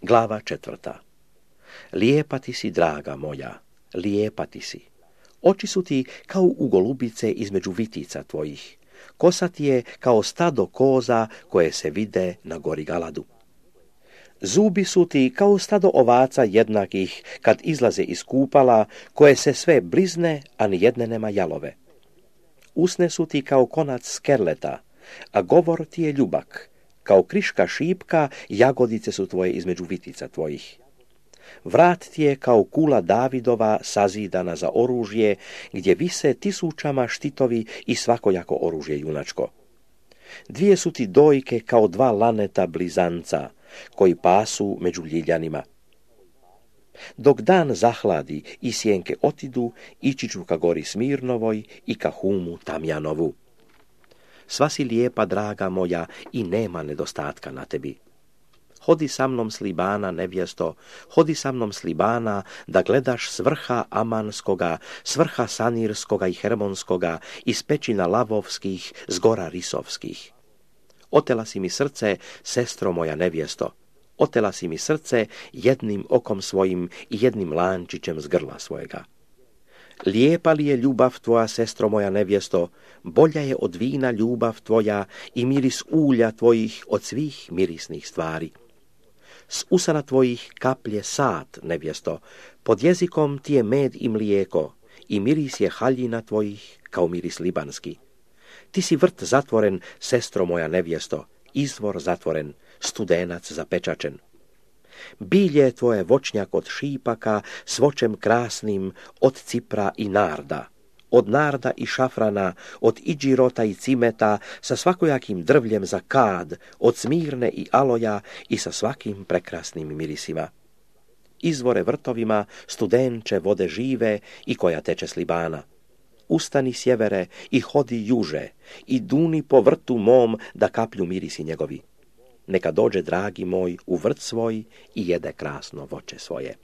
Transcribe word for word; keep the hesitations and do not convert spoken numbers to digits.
Glava četvrta. Lijepa ti si, draga moja, lijepa ti si. Oči su ti kao u golubice između vitica tvojih. Kosa ti je kao stado koza koje se vide na gori Galadu. Zubi su ti kao stado ovaca jednakih kad izlaze iz kupala, koje se sve blizne, a ni jedne nema jalove. Usne su ti kao konac skerleta, a govor ti je ljubak. Kao kriška šipka, jagodice su tvoje između vitica tvojih. Vrat ti je kao kula Davidova sazidana za oružje, gdje vise tisućama štitovi i svakojako oružje junačko. Dvije su ti dojke kao dva laneta blizanca, koji pasu među ljiljanima. Dok dan zahladi i sjenke otidu, ići ću ka gori Smirnovoj i ka Humu Tamjanovu. Sva si lijepa, draga moja, i nema nedostatka na tebi. Hodi sa mnom s Libana, nevjesto, hodi sa mnom s Libana, da gledaš s vrha Amanskoga, s vrha Sanirskoga i Hermonskoga, iz pećina Lavovskih, s gora Risovskih. Otela si mi srce, sestro moja nevjesto, otela si mi srce jednim okom svojim i jednim lančićem z grla svojega. Lijepa li je ljubav tvoja, sestro moja nevjesto, bolja je od vina ljubav tvoja i miris ulja tvojih od svih mirisnih stvari. S usana tvojih kaplje sad, nevjesto, pod jezikom ti je med i mlijeko i miris je haljina tvojih kao miris libanski. Ti si vrt zatvoren, sestro moja nevjesto, izvor zatvoren, studenac zapečačen. Bilje je tvoje voćnjak od šipaka, s voćem krasnim, od cipra i narda, od narda i šafrana, od iđirota i cimeta, sa svakojakim drvljem za kad, od smirne i aloja i sa svakim prekrasnim mirisima. Izvore vrtovima, studenče vode žive i koja teče s Libana. Ustani sjevere i hodi juže i duni po vrtu mom da kaplju mirisi njegovi. Neka dođe, dragi moj, u vrt svoj i jede krasno voće svoje.